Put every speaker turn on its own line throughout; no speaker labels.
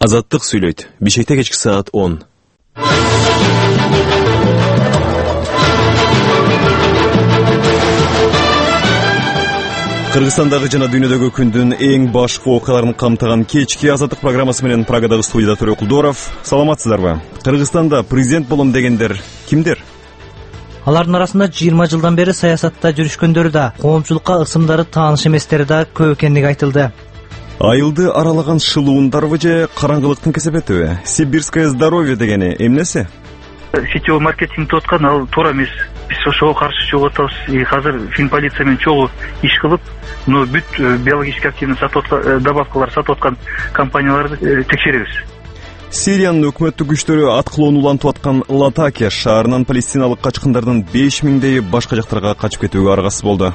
Азаттык сүйлөйт. Бишкекте кечки саат 10. Кыргызстандагы жана дүйнөдөгү күндүн эң башкы окуяларын камтыган кечки Азаттык программасы менен Прагадагы студияда Төрөкулдоров. Саламатсыздарбы? Кыргызстанда президент болом дегендер кимдер?
Алардын арасында 20 жылдан бери саясатта жүрүшкөндөрү да, коомчулукка ысымдары тааныш эместери да көп экендиги айтылды.
Айылды аралаган шылуундарбы же караңгылыктын кесепетиби? Сибирское здоровье дегени эмнеси?
Сетевой маркетинг деп аткан ал туура эмес. Биз ошого каршы чыгып атабыз. Азыр Финполиция менен чогуу иш кылып, бүт биологически активный добавкалар сатып аткан компанияларды текшеребиз.
Сириянын өкмөттүк күчтөрү аткылоону улантып аткан Латакия шаарынан палестиналык качкындардын 5000 башка жактарга качып кетүүгө аргасыз болду.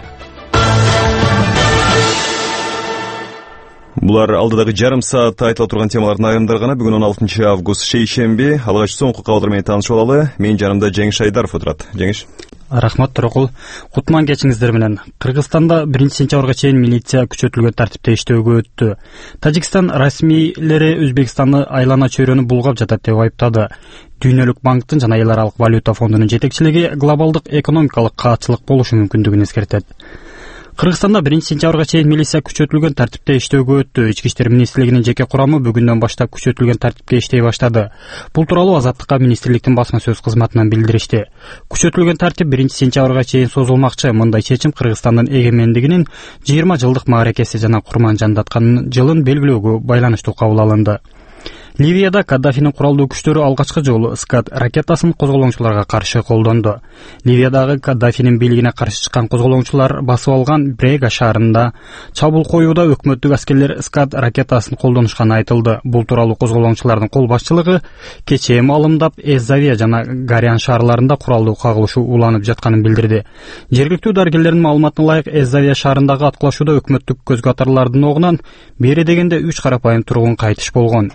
Булар алдыдагы жарым саатта айтыла турган темалардын айрымдары гана. Бүгүн 16 август шейшемби. Алгач соңку кабарлар менен таанышып алалы. Менин жанымда Жеңиш Айдаров отурат. Жеңиш.
Рахмат Төрөкул. Кутман кечиңиздер менен. Кыргызстанда 1-сентябрга чейин милиция күчөтүлгөн тартипте иштөөгө өттү. Тажикстан расмийлери Өзбекстанды айлана чөйрөнү булгап жатат деп айыптады. Дүйнөлүк банктын жана эл аралык валюта фондунун жетекчилиги глобалдык экономикалык каатчылык болушу мүмкүндүгүн эскертет. Кыргызстанда 1-сентябрга чейин милиция күчөтүлгөн тартипте иштөөгө өттү. Ички иштер министрлигинин жеке курамы бүгүндөн баштап күчөтүлгөн тартипке иштей баштады. Бул тууралуу Азаттыкка министрликтин басма сөз кызматынан билдиришти. Күчөтүлгөн тартип 1-сентябрга чейин созулмакчы. Мындай чечим Кыргызстандын эгемендигинин 20 жылдык мааракеси жана курман жандаткан жылын белгилөөгө байланыштуу кабыл алынды. Ливияда Каддафинин куралдуу күчтөрү алгачкы жолу Скат ракетасын козголоңчуларга каршы колдонду. Ливиядагы Каддафинин бийлигине каршы чыккан козголоңчулар басып алган Брега шаарында чабуул коюуда өкмөттүк аскерлер Скат ракетасын колдонушканы айтылды. Бул тууралуу козголоңчулардын кол башчылыгы кечээ маалымдап Эзавия жана Гарян шаарларында куралдуу кагылышуу уланып жатканын билдирди. Жергиликтүү дарыгерлердин маалыматына ылайык, Эзавия шаарындагы аткылашууда өкмөттүк көз катарлардын огунан бери дегенде 3 карапайым тургун кайтыш болгон.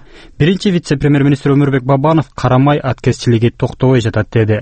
Биринчи вице-премьер-министр Өмүрбек Бабанов карамай аткезчилиги токтобой жатат деди.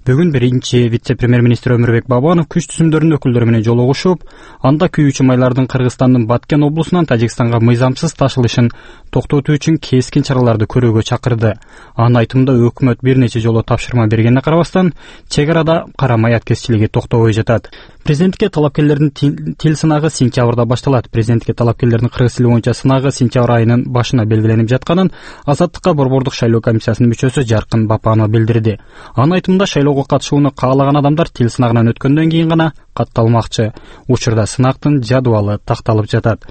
Бүгүн биринчи вице-премьер-министр Өмүрбек Бабанов күч түзүмдөрүнүн өкүлдөрү менен жолугушуп, анда күйүүчү майлардын Кыргызстандын Баткен облусунан Тажикстанга мыйзамсыз ташылышын токтотуу үчүн кескин чараларды көрүүгө чакырды. Анын айтымында өкмөт бир нече жолу тапшырма бергенине карабастан, чек арада карамай аткезчилиги токтобой жатат. Президентке талапкерлердин тил сынагы сентябрда башталат. Президентке талапкерлердин кыргыз тили боюнча сынагы сентябрь айынын башына белгиленип жатканын Азаттыкка борбордук шайлоо комиссиясынын мүчөсү Жаркын Бапанова билдирди. Анын айтымында шайлоого катышууну каалаган адамдар тил сынагынан өткөндөн кийин гана катталмакчы. Учурда сынактын жадыбалы такталып жатат.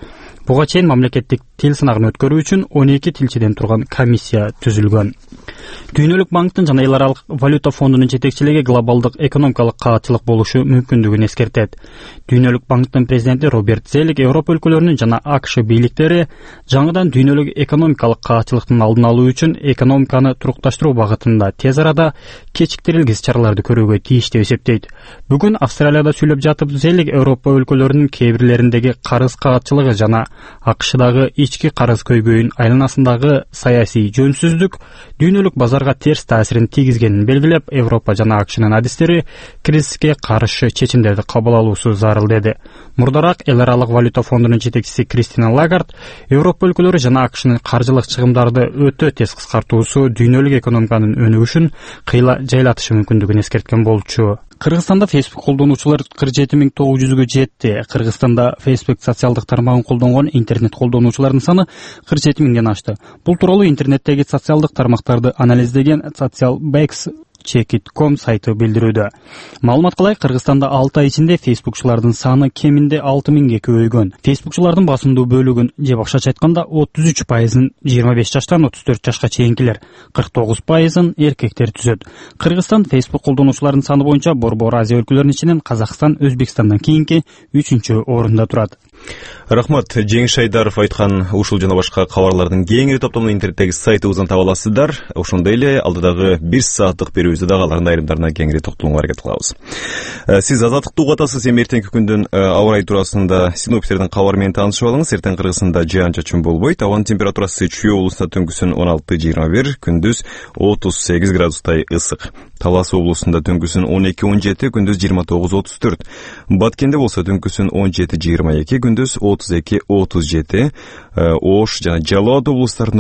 Буга чейин мамлекеттик тил сынагын өткөрүү үчүн 12 тилчиден турган комиссия түзүлгөн. Дүйнөлүк банктын жана эл аралык валюта фондунун жетекчилиги глобалдык экономикалык каатчылык болушу мүмкүндүгүн эскертет. Дүйнөлүк банктын президенти Роберт Зелик Европа өлкөлөрүнүн жана АКШ бийликтери жаңыдан дүйнөлүк экономикалык каатчылыктын алдын алуу үчүн экономиканы турукташтыруу багытында тез арада кечиктирилгис чараларды көрүүгө тийиш деп эсептейт. Бүгүн Австралияда сүйлөп жатып Зелик Европа өлкөлөрүнүн кээ бирлериндеги карыз каатчылыгы жана АКШдагы ички карыз көйгөйүн айланасындагы саясий жөнсүздүк дүйнөлүк базарга терс таасирин тийгизгенин белгилеп, Европа жана АКШнын адистери кризиске каршы чечимдерди кабыл алуусу зарыл деди. Мурдараак эл аралык валюта фондунун жетекчиси Кристина Лагард Европа өлкөлөрү жана АКШнын каржылык чыгымдарды өтө тез кыскартуусу дүйнөлүк экономиканын өнүгүшүн кыйла жайлатышы мүмкүндүгүн эскерткен болчу. Кыргызстанда Facebook колдонуучулар 47900-гө жетти. Кыргызстанда Facebook социалдык тармагын колдонгон интернет колдонуучулардын саны 47000ден ашты. Бул тууралуу интернеттеги социалдык тармактарды анализдеген Socialbacks.com сайты билдирүүдө. Маалыматка ылайык, Кыргызстанда 6 ай ичинде фейсбукчулардын саны кеминде 6000ге көбөйгөн. Фейсбукчулардын басымдуу бөлүгүн, же башкача айтканда 33%-ын 25 жаштан 34 жашка чейинкилер, 49%-ын эркектер түзөт. Кыргызстан фейсбук колдонуучулардын саны боюнча Борбор Азия өлкөлөрүнүн ичинен Казакстан Өзбекстандан кийинки 3-чү орунда турат.
Рахмат. Жеңиш Айдаров айткан ушул жана башка кабарлардын кеңири топтомун интернеттеги сайтыбыздан таба аласыздар. Ошондой эле алдыдагы 1 сааттык берүүбүздө дагы алардын айрымдарына кеңири токтолууга аракет кылабыз. Сиз Азаттыкты угуп атасыз. Эми эртеңки күндүн аба ырайы туурасында синоптиктердин кабары менен таанышып алыңыз. Эртең Кыргызстанда жаан-чачын болбойт. Абанын температурасы Чүй облусунда түнкүсүн 16-21, күндүз 38 градустай ысык. Талас облусунда түнкүсүн 12-17, күндүз 29-34. Баткенде болсо түнкүсүн 17-22, күндүз 32-37. Ош жана Жалал абад облустарында